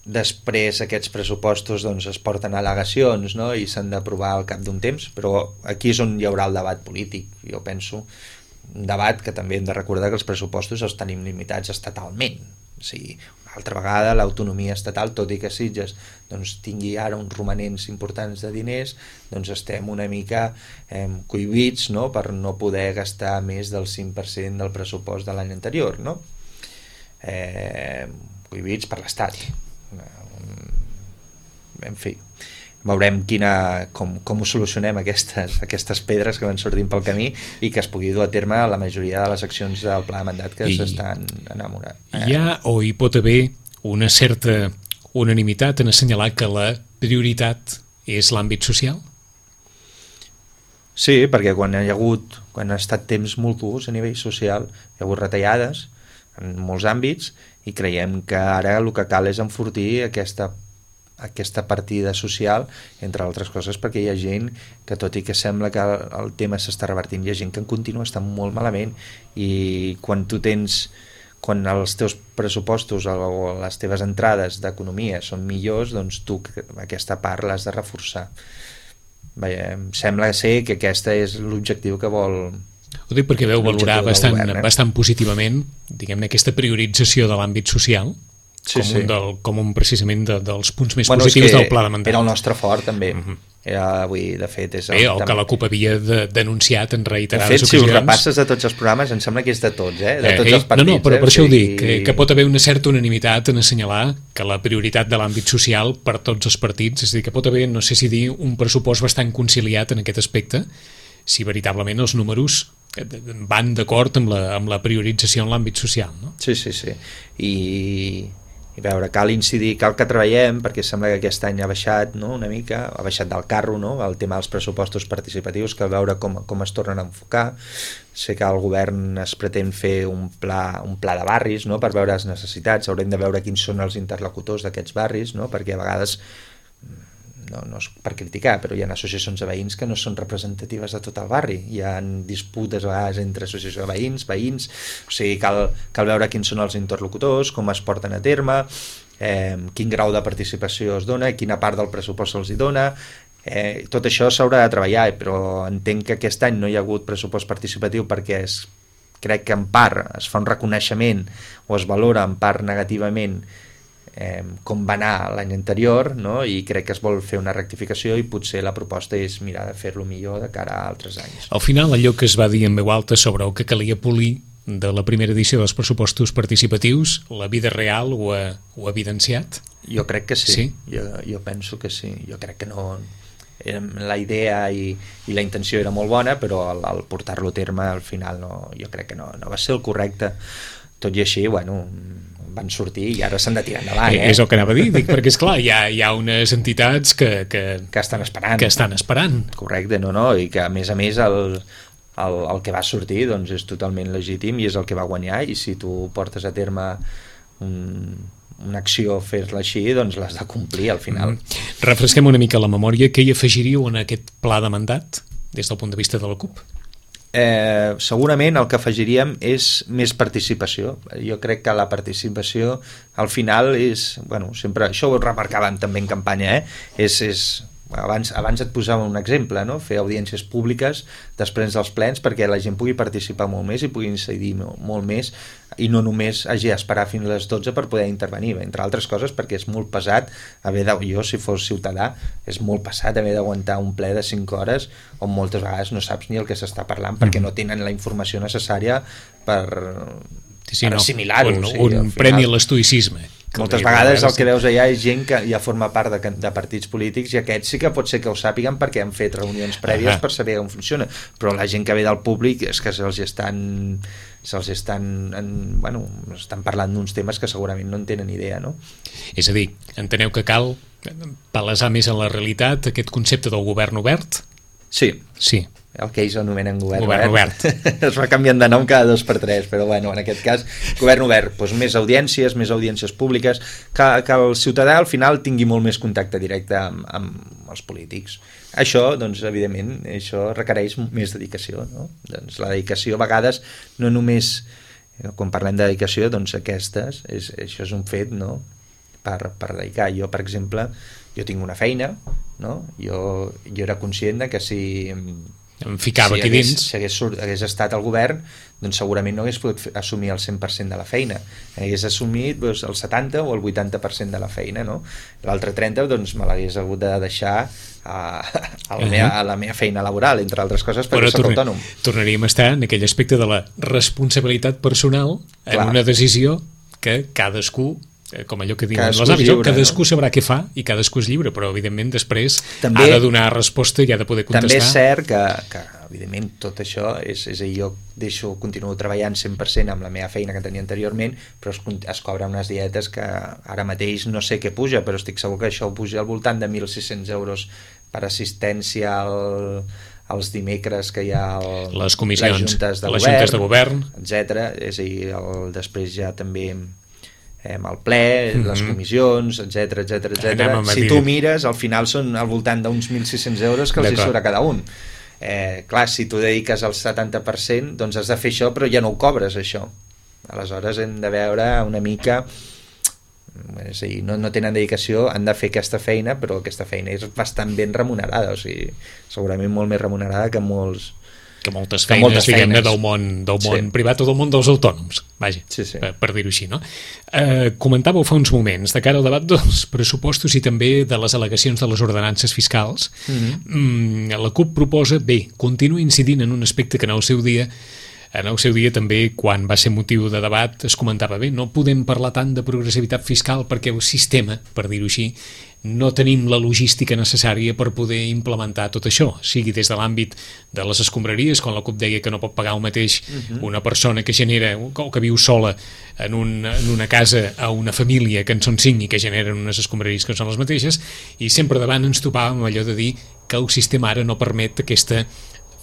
C: després aquests pressupostos doncs, es porten al·legacions, no? I s'han d'aprovar al cap d'un temps, però aquí és on hi haurà el debat polític, jo penso. Un debat que també hem de recordar que els pressupostos els tenim limitats estatalment. O sigui, una altra vegada l'autonomia estatal, tot i que Sitges doncs, tingui ara uns romanents importants de diners, doncs estem una mica eh, cohibits, no? Per no poder gastar més del cinc per cent del pressupost de l'any anterior, no? Eh, cohibits per l'Estat. En fi, veurem quina, com, com ho solucionem aquestes, aquestes pedres que van sortint pel camí i que es pugui dur a terme la majoria de les accions del pla de mandat que s'estan enamorant.
B: Hi ha o hi pot haver una certa unanimitat en assenyalar que la prioritat és l'àmbit social?
C: Sí, perquè quan hi ha hagut, quan ha estat temps molt durs a nivell social, hi ha hagut retallades en molts àmbits i creiem que ara el que cal és enfortir aquesta aquesta partida social, entre altres coses, perquè hi ha gent que, tot i que sembla que el, el tema s'està revertint, hi ha gent que en continua estant molt malament i quan tu tens, quan els teus pressupostos o les teves entrades d'economia són millors, doncs tu aquesta part l'has de reforçar. Vaja, sembla ser que aquesta és l'objectiu que vol...
B: Ho dic perquè veu valorar bastant, govern, eh? bastant positivament, diguem-ne, aquesta priorització de l'àmbit social, Sí, com, sí. Un del, com un precisament de, dels punts més bueno, positius del pla de mandat.
C: Era el nostre fort també. Uh-huh. Era, avui, de fet, és el,
B: Bé, el que la CUP havia de, denunciat en reiterades
C: de fet,
B: ocasions.
C: Si ho repasses de tots els programes, em sembla que és de tots, eh? De tots eh, els partits.
B: No, no, però
C: eh?
B: per això
C: o sigui...
B: ho dic, que, que pot haver una certa unanimitat en assenyalar que la prioritat de l'àmbit social per tots els partits, és a dir, que pot haver, no sé si dir, un pressupost bastant conciliat en aquest aspecte, si veritablement els números van d'acord amb, la, amb la priorització en l'àmbit social, no?
C: Sí, sí, sí. I... i veure, cal incidir, cal que treballem perquè sembla que aquest any ha baixat, no? Una mica, ha baixat del carro, no? El tema dels pressupostos participatius, cal veure com, com es tornen a enfocar. Sé que el govern es pretén fer un pla, un pla de barris, no? Per veure les necessitats, haurem de veure quins són els interlocutors d'aquests barris, no? Perquè a vegades no, no és per criticar, però hi ha associacions de veïns que no són representatives de tot el barri, hi ha disputes a vegades entre associacions de veïns, veïns, o sigui, cal, cal veure quins són els interlocutors, com es porten a terme, eh, quin grau de participació es dona, quina part del pressupost se'ls hi dona, eh, tot això s'haurà de treballar, però entenc que aquest any no hi ha hagut pressupost participatiu perquè es, crec que en part es fa un reconeixement o es valora en part negativament Eh, com va anar l'any anterior, no? I crec que es vol fer una rectificació i potser la proposta és mirar de fer-lo millor de cara a altres anys.
B: Al final, allò que es va dir en veu alta sobre el que calia polir de la primera edició dels pressupostos participatius, la vida real ho ha, ho ha evidenciat?
C: Jo crec que sí,
B: sí?
C: Jo, jo penso que sí, jo crec que no... la idea i, i la intenció era molt bona, però el, el portar-lo a terme al final no, jo crec que no, no va ser el correcte. Tot i així, bueno, van sortir i ara s'han de tirar endavant. Eh?
B: És el que anava a dir, dic, perquè esclar, hi ha, hi ha unes entitats que, que,
C: que estan esperant.
B: Que estan esperant.
C: Correcte, no, no, i que a més a més el, el, el que va sortir doncs, és totalment legítim i és el que va guanyar, i si tu portes a terme un, una acció, fer-la així, doncs l'has de complir al final.
B: Mm. Refresquem una mica la memòria. Què hi afegiríeu en aquest pla de mandat des del punt de vista de la CUP?
C: Eh, segurament el que afegiríem és més participació. Jo crec que la participació al final és, bueno, sempre, això ho remarcàvem també en campanya, eh? és, és abans, abans et posava un exemple, no? Fer audiències públiques després dels plens perquè la gent pugui participar molt més i pugui incidir molt més i no només hagi d'esperar fins a les dotze per poder intervenir, entre altres coses perquè és molt pesat haver de, jo si fos ciutadà és molt pesat haver d'aguantar un ple de cinc hores on moltes vegades no saps ni el que s'està parlant perquè no tenen la informació necessària per,
B: sí, sí,
C: per
B: no,
C: assimilar-ho.
B: Un,
C: sí,
B: un
C: final,
B: premi a l'estoïcisme.
C: Moltes vegades el que veus allà és gent que ja forma part de, de partits polítics i aquests sí que pot ser que ho sàpiguen perquè han fet reunions prèvies per saber com funciona, però la gent que ve del públic és que se'ls estan se'ls estan, en, bueno, estan parlant d'uns temes que segurament no en tenen idea, no?
B: És a dir, enteneu que cal palesar més en la realitat aquest concepte del govern obert?
C: Sí.
B: Sí.
C: El que ells anomenen govern,
B: govern obert.
C: obert. Es va canviant de nom cada dos per tres, però bueno, en aquest cas, govern obert, doncs més audiències, més audiències públiques, que, que el ciutadà al final tingui molt més contacte directe amb, amb els polítics. Això, doncs, evidentment, això requereix més dedicació, no? Doncs la dedicació, a vegades, no només, quan parlem de dedicació, doncs aquestes, és, això és un fet, no?, per, per dedicar. Jo, per exemple, jo tinc una feina, no? Jo, jo era conscient de que si...
B: em ficava
C: si
B: aquí
C: hagués,
B: dins
C: si hagués, hagués estat al govern doncs segurament no hagués pogut assumir el cent per cent de la feina, hagués assumit doncs, el setanta o el vuitanta per cent de la feina, no? L'altre trenta doncs, me l'hagués hagut de deixar a, a, la meva, a la meva feina laboral, entre altres coses perquè soc autònom.
B: Tornaríem a estar en aquell aspecte de la responsabilitat personal en Clar. Una decisió que cadascú, com allò que diuen les avis, cadascú no? sabrà què fa i cadascú és lliure, però evidentment després també, ha de donar resposta i ha de poder contestar.
C: També és cert que, que evidentment tot això és, és a dir, jo deixo, continuo treballant cent per cent amb la meva feina que tenia anteriorment, però es, es cobra unes dietes que ara mateix no sé què puja, però estic segur que això puja al voltant de mil sis-cents euros per assistència al els dimecres que hi ha el,
B: les comissions,
C: les juntes de
B: les
C: govern,
B: juntes de govern,
C: etcètera. És a dir, el, després ja també amb el ple, mm-hmm. les comissions, etcètera, etcètera, etcètera. Si tu mires, al final són al voltant d'uns mil sis-cents euros que els hi surt a cada un. Eh, clar, si tu dediques el setanta per cent, doncs has de fer això, però ja no ho cobres, això. Aleshores hem de veure una mica... És a dir, no, no tenen dedicació, han de fer aquesta feina, però aquesta feina és bastant ben remunerada, o sigui, segurament molt més remunerada que molts...
B: que moltes feines, moltes diguem-ne, del món, del món sí. privat o del món dels autònoms, vaja, sí, sí. per, per dir-ho així, no? Eh, comentàveu fa uns moments, de cara al debat dels pressupostos i també de les al·legacions de les ordenances fiscals, mm-hmm. la CUP proposa, bé, continua incidint en un aspecte que en el seu dia en el seu dia també, quan va ser motiu de debat, es comentava, bé, no podem parlar tant de progressivitat fiscal perquè el sistema, per dir-ho així, no tenim la logística necessària per poder implementar tot això, sigui des de l'àmbit de les escombraries, quan la CUP deia que no pot pagar el mateix uh-huh. una persona que genera, o que viu sola en, un, en una casa a una família que en són cinc i que generen unes escombraries que són les mateixes, i sempre davant ens topàvem allò de dir que el sistema ara no permet aquesta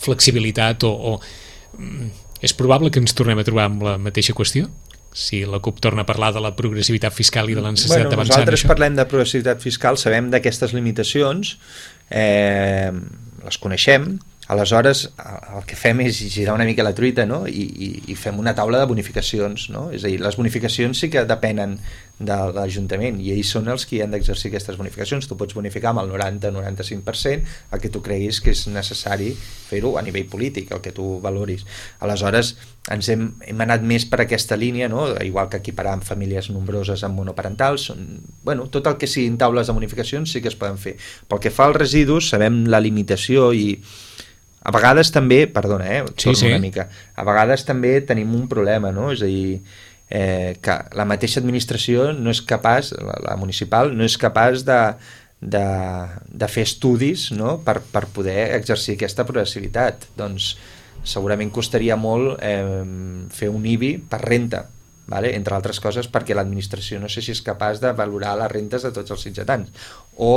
B: flexibilitat o... o és probable que ens tornem a trobar amb la mateixa qüestió? Si la CUP torna a parlar de la progressivitat fiscal i de la necessitat
C: bueno,
B: d'avançar en això?
C: Nosaltres parlem de progressivitat fiscal, sabem d'aquestes limitacions, eh, les coneixem, aleshores el que fem és girar una mica la truita, no? I, i, i fem una taula de bonificacions, no? És a dir, les bonificacions sí que depenen de l'Ajuntament i ells són els que han d'exercir aquestes bonificacions. Tu pots bonificar amb el noranta a noranta-cinc per cent el que tu creguis que és necessari fer-ho a nivell polític, el que tu valoris. Aleshores ens hem, hem anat més per aquesta línia, no? Igual que equiparar amb famílies nombroses amb monoparentals, són, bueno, tot el que siguin taules de bonificacions sí que es poden fer. Pel que fa als residus sabem la limitació i a vegades també, perdona, eh, torno sí, sí. una mica, a vegades també tenim un problema, no? És a dir, eh, que la mateixa administració no és capaç, la, la municipal, no és capaç de, de, de fer estudis, no? per, per poder exercir aquesta progressivitat. Doncs segurament costaria molt eh, fer un I B I per renta, vale? Entre altres coses perquè l'administració no sé si és capaç de valorar les rentes de tots els sitgetans, o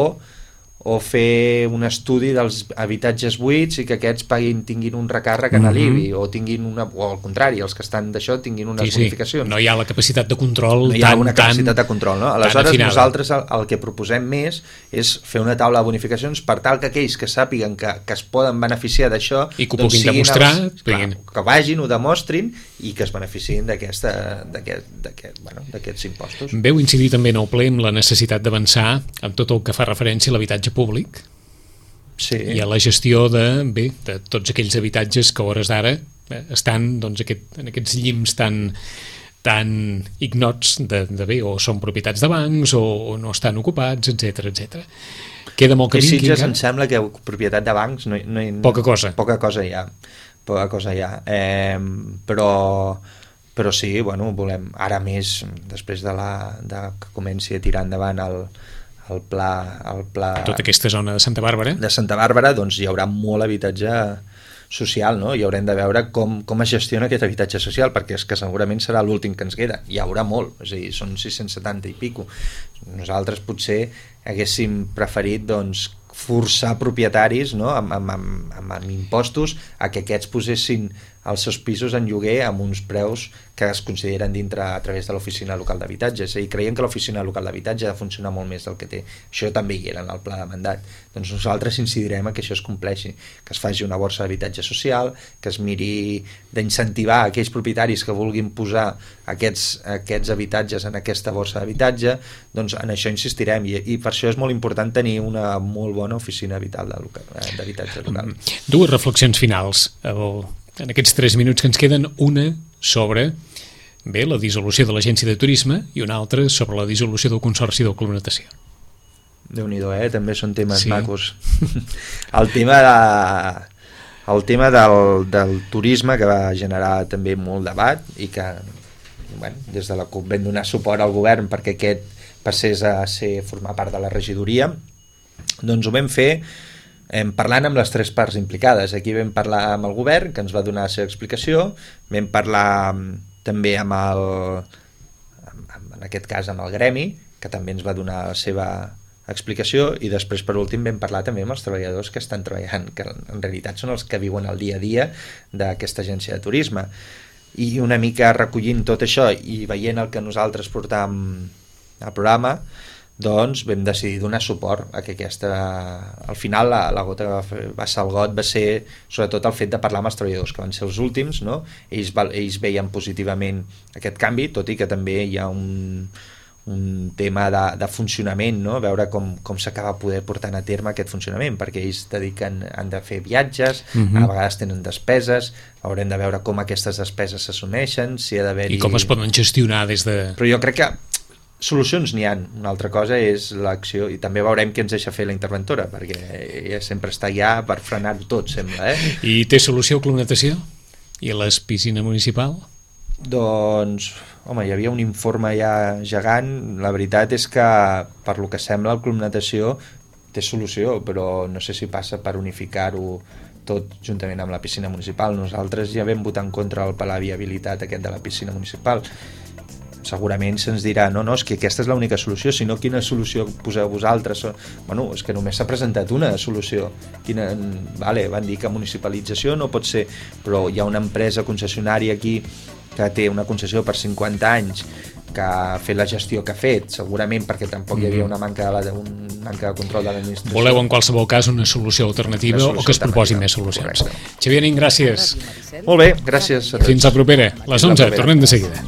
C: o fer un estudi dels habitatges buits i que aquests paguin, tinguin un recàrrec en l'I B I, o tinguin una, o al contrari, els que estan d'això tinguin unes
B: sí,
C: bonificacions.
B: Sí. No hi ha la capacitat de control
C: no hi ha
B: tan,
C: una capacitat de control, no? Aleshores nosaltres el, el que proposem més és fer una taula de bonificacions per tal que aquells que sàpiguen que, que es poden beneficiar d'això
B: i que ho
C: doncs
B: puguin demostrar,
C: els, clar, que vagin, ho demostrin i que es beneficien d'aquesta d'aquest, bueno, d'aquests impostos.
B: Veu incidir també en el ple amb la necessitat d'avançar en tot el que fa referència a l'habitatge públic,
C: sí.
B: i a la gestió de, bé, de tots aquells habitatges que a hores d'ara estan doncs, aquest, en aquests llims tan, tan ignots de, de bé, o són propietats de bancs o, o no estan ocupats, etc etcètera. Queda molt camí.
C: I Sitges em sembla que propietat de bancs no, no,
B: poca cosa.
C: Poca cosa hi ha. Poca cosa hi ha. Eh, però però sí, bueno, volem ara més després de, la, de que comenci a tirar endavant el el pla, el pla...
B: Tota aquesta zona de Santa Bàrbara.
C: De Santa Bàrbara, doncs hi haurà molt habitatge social, no? I haurem de veure com, com es gestiona aquest habitatge social, perquè és que segurament serà l'últim que ens queda. Hi haurà molt, és a dir, són sis-cents setanta i pico. Nosaltres potser haguéssim preferit, doncs, forçar propietaris, no? amb, amb, amb, amb, amb impostos a que aquests posessin els seus pisos en lloguer amb uns preus que es consideren dintre a través de l'oficina local d'habitatge. És a dir, creiem que l'oficina local d'habitatge ha de funcionar molt més del que té. Això també hi era en el pla de mandat. Doncs nosaltres incidirem a que això es compleixi, que es faci una borsa d'habitatge social, que es miri d'incentivar aquells propietaris que vulguin posar aquests, aquests habitatges en aquesta borsa d'habitatge. Doncs en això insistirem i, i per això és molt important tenir una molt bona oficina d'habitatge local.
B: Dues reflexions finals el, en aquests tres minuts que ens queden, una sobre bé, la dissolució de l'Agència de Turisme i una altra sobre la dissolució del Consorci del Club Natació.
C: Déu-n'hi-do, eh? També són temes
B: sí.
C: macos. El tema, de, el tema del, del turisme, que va generar també molt debat i que bueno, des de la CUP vam donar suport al govern perquè aquest passés a ser, formar part de la regidoria, doncs ho vam fer eh, parlant amb les tres parts implicades. Aquí vam parlar amb el govern, que ens va donar la seva explicació, vam parlar també amb el, amb, en aquest cas amb el gremi, que també ens va donar la seva explicació, i després per últim vam parlar també amb els treballadors que estan treballant, que en realitat són els que viuen el dia a dia d'aquesta agència de turisme. I una mica recollint tot això i veient el que nosaltres portàvem al programa, doncs vam decidir donar suport a que aquesta... Al final la, la gota que va, fer, va ser el got va ser sobretot el fet de parlar amb els treballadors, que van ser els últims, no? Ells, ells veien positivament aquest canvi, tot i que també hi ha un, un tema de, de funcionament, no? Veure com, com s'acaba poder portant a terme aquest funcionament, perquè ells dediquen, han de fer viatges, uh-huh. a vegades tenen despeses, haurem de veure com aquestes despeses s'assumeixen, si ha d'haver-hi...
B: I com es poden gestionar des de...
C: Però jo crec que solucions n'hi ha. Una altra cosa és l'acció, i també veurem què ens deixa fer la interventora, perquè ella sempre està allà per frenar-ho tot, sembla. Eh?
B: I té solució el Club Natació? I la piscina municipal?
C: Doncs, home, hi havia un informe ja gegant. La veritat és que, per lo que sembla, el Club Natació té solució, però no sé si passa per unificar-ho tot juntament amb la piscina municipal. Nosaltres ja vam votar en contra el pla de viabilitat aquest de la piscina municipal. Segurament se'ns dirà, no, no, és que aquesta és l'única solució, si no, quina solució poseu vosaltres? Bueno, és que només s'ha presentat una solució. Quina, vale, van dir que municipalització no pot ser, però hi ha una empresa concessionària aquí que té una concessió per cinquanta anys, que ha fet la gestió que ha fet, segurament perquè tampoc hi havia una manca de, la, un manca de control de l'administració.
B: Voleu en qualsevol cas una solució alternativa una solució o que es proposin més solucions. Correcte. Xavier Nin, gràcies.
C: Molt bé, gràcies a tots.
B: Fins la propera, les onze, tornem de seguida.